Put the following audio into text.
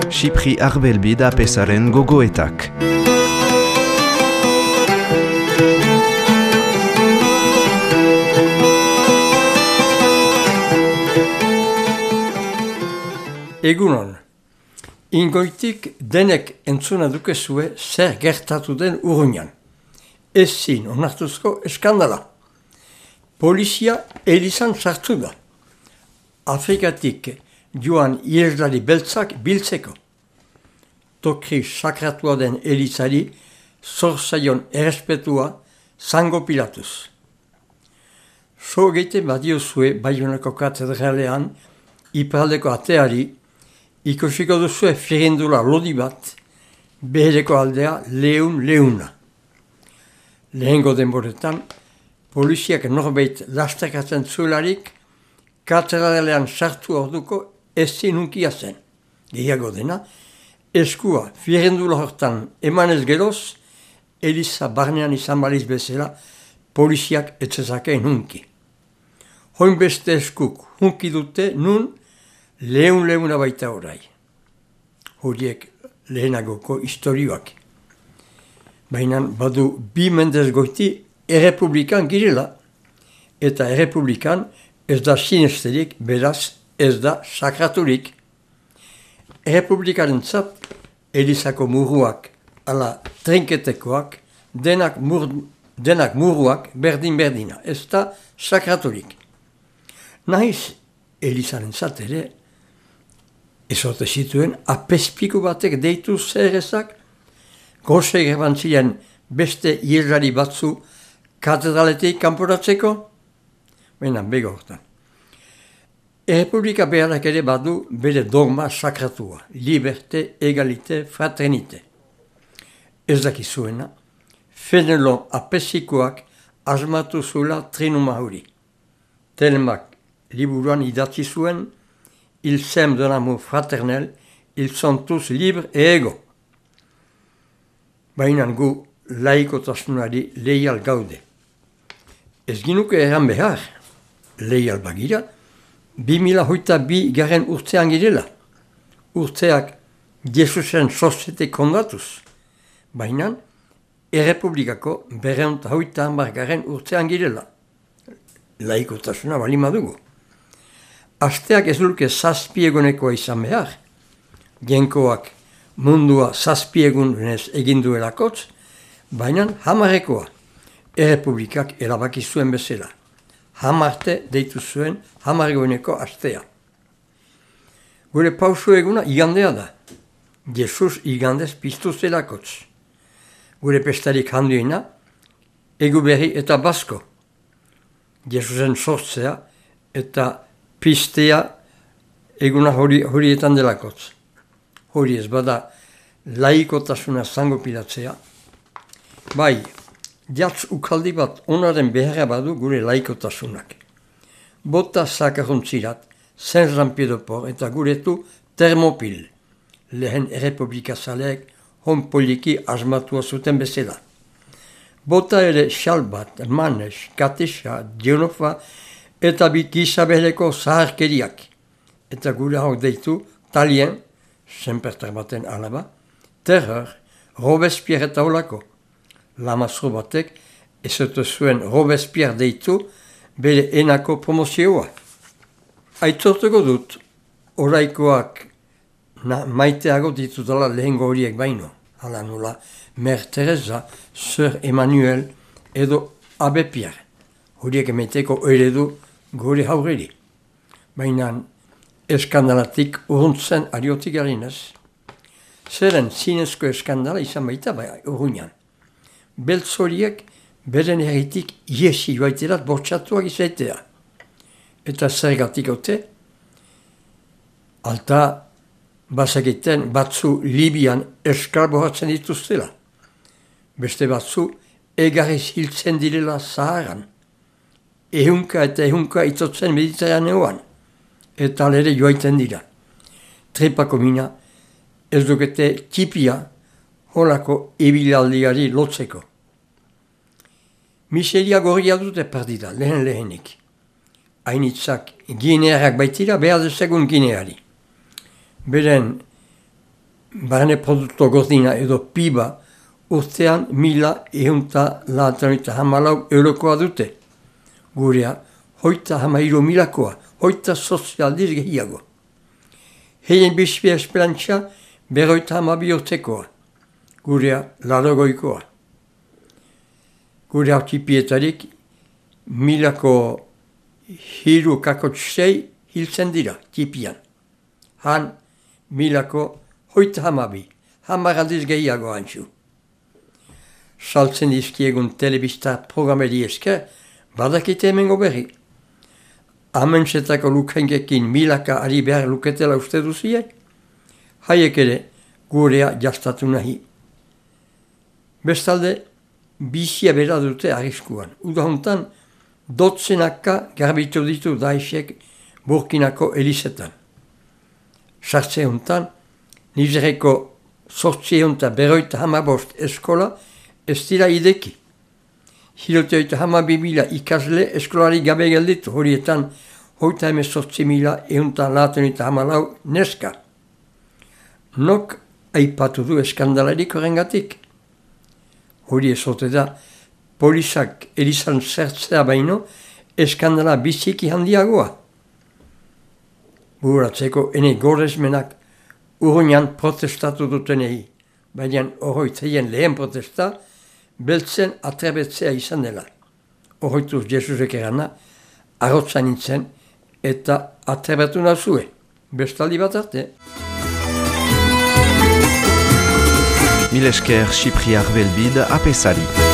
Xipri Arbelbi da pesaren gogoetak. Egunon, ingoitik denek entzuna dukezue zer gertatu den Urruñan. Ezin onartuzko eskandala. Polizia elizan sartu da. Afrikatik joan iheslari beltzak biltzeko. Tokri sakratua den elizari zorzaion errespetua zango pilatuz. So geite badiozue Baionako katedralean iparaldeko ateari ikusiko duzue firindula lodi bat, behereko aldea leuna. Lehengo denboretan, poliziak norbait lasterkatzen zuelarik, katedralean sartu orduko ezin unkia zen. Gehiago dena, eskua firindula hortan emanez geroz, eliza barnean izan baliz bezala, poliziak etzezakeen hunki. Hoin beste eskuk hunki dute nun, leuna baita orai. Horiek lehenagoko istorioak. Baina badu bi mendez goiti errepublikan girela, eta errepublikan ez da sinesterik, beraz ez da sakraturik. Errepublikaren zat, elizako muruak ala trinketekoak, denak muruak berdin-berdina, ez da sakraturik. Nahiz elizaren zat ere, ezote zituen apezpiku batek deitu zerrezak, gose gerbantzilean beste iheslari batzu katedraletik kanporatzeko? Baina bego hortan. Errepublika beharrak ere badu bere dogma sakratua, liberte, egalite, fraternite. Ez dakizuena, Fenelon apezikoak asmatu zula trinuma hori. Telemak liburuan idatzi zuen, ils s'aiment d'un amour fraternel, ils sont tous libres et égaux. Baina gu laikotasunari leial gaude. Ez ginuke erran behar, leial bagira, 2022 garen urtean girela. Urteak Jesusen sozete kondatuz. Baina errepublikako 230 garen urtean girela. Laikotasuna bali madugu. Asteak ez luke zazpiegunekoa izan behar. Genkoak mundua zazpiegunez eginduelakotz, baina hamarrekoa. Errepublikak erabaki zuen bezala. Hamarte deitu zuen hamarreguneko astea. Gure pausu eguna igandea da. Jesus igandez piztu zelakotz. Gure pestarik handuena, Eguberri eta Basko. Jesusen sortzea eta pistea eguna horietan delakotz. Hori ez bada laikotasuna zango pilatzea. Bai, jatz ukaldi bat onaren beharra badu gure laikotasunak. Bota zakaruntzirat, Saint-Jean-Pied-de-Port eta guretu Termopil. Lehen errepublikazaleek hon poliki asmatua zuten bezala. Bota ere xal bat, Manes, Katexa, Dionofa eta Gizabeleko zaharkeriak. Eta gure hau deitu Talien, Senpertar baten alaba, Terror, Robespierre eta olako. Lamazro batek ezote zuen Robespierre deitu bere enako promozioa. Aitzortuko dut, oraikoak maiteago ditutala lehengo horiek baino. Hala nola, Mer Teresa, Sir Emmanuel edo Abe Pierre. Horiek emeteko eredu gure haureri. Baina eskandalatik urruntzen ariotik garinez. Zeren zinezko eskandala izan baita Urruñan. Beltz horiek beren herritik iesi joaiterat bortxatuak izaitea. Eta zergatik ote, alta bazakiten batzu Libian eskarbohatzen dituztela. Beste batzu egarriz hiltzen direla Zaharan. Ehunka eta ehunka itotzen Mediterraneoan. Eta lere joaiten dira. Tripako mina ez dukete tipia holako ibilaldiari lotzeko. Miseria gorria dute partida, lehenik. hainitzak ginearak baitira, behar dezagun gineari. Beren barne produkto gordina edo piba urtean 1.194 eurokoa dute. Gurea, 33.000koa, 38 aldiz gehiago. Heien bizpia esperantza 52 urtekoa. Gurea, 80koa. Gure aurtipietarik 1.306 hiltzen dira, tipian. Han 1.032, aldiz gehiago hantzu. Saltzen dizkiegun telebista programeri esker, badakite hemengo berri. Amentsetako lukengekin 1.000 ari behar luketela uste duzie, haiek ere gurea jastatu nahi. Bestalde, bizia bera dute arriskuan. Uda hontan, dotzenaka garbitu ditu Daeshek Burkinako elizetan. Sartze hontan, Nizereko 855 eskola ez dira ideki. 112.000 ikasle eskolari gabe gelditu, horietan 38.194 neska. Nok aipatu du eskandalarik horrengatik. Hori ezote da, polizak elizan zertzea baino, eskandala biziki handiagoa. Buratzeko ene gorezmenak urruinan protestatu dutenei, baina horroitzeien lehen protesta, beltzen atrebetzea izan dela. Horroituz Jesusek erana, arrotza nintzen eta atrebetu nazue. Bestaldi bat arte. Mil esker Chypriar Belbide apesari.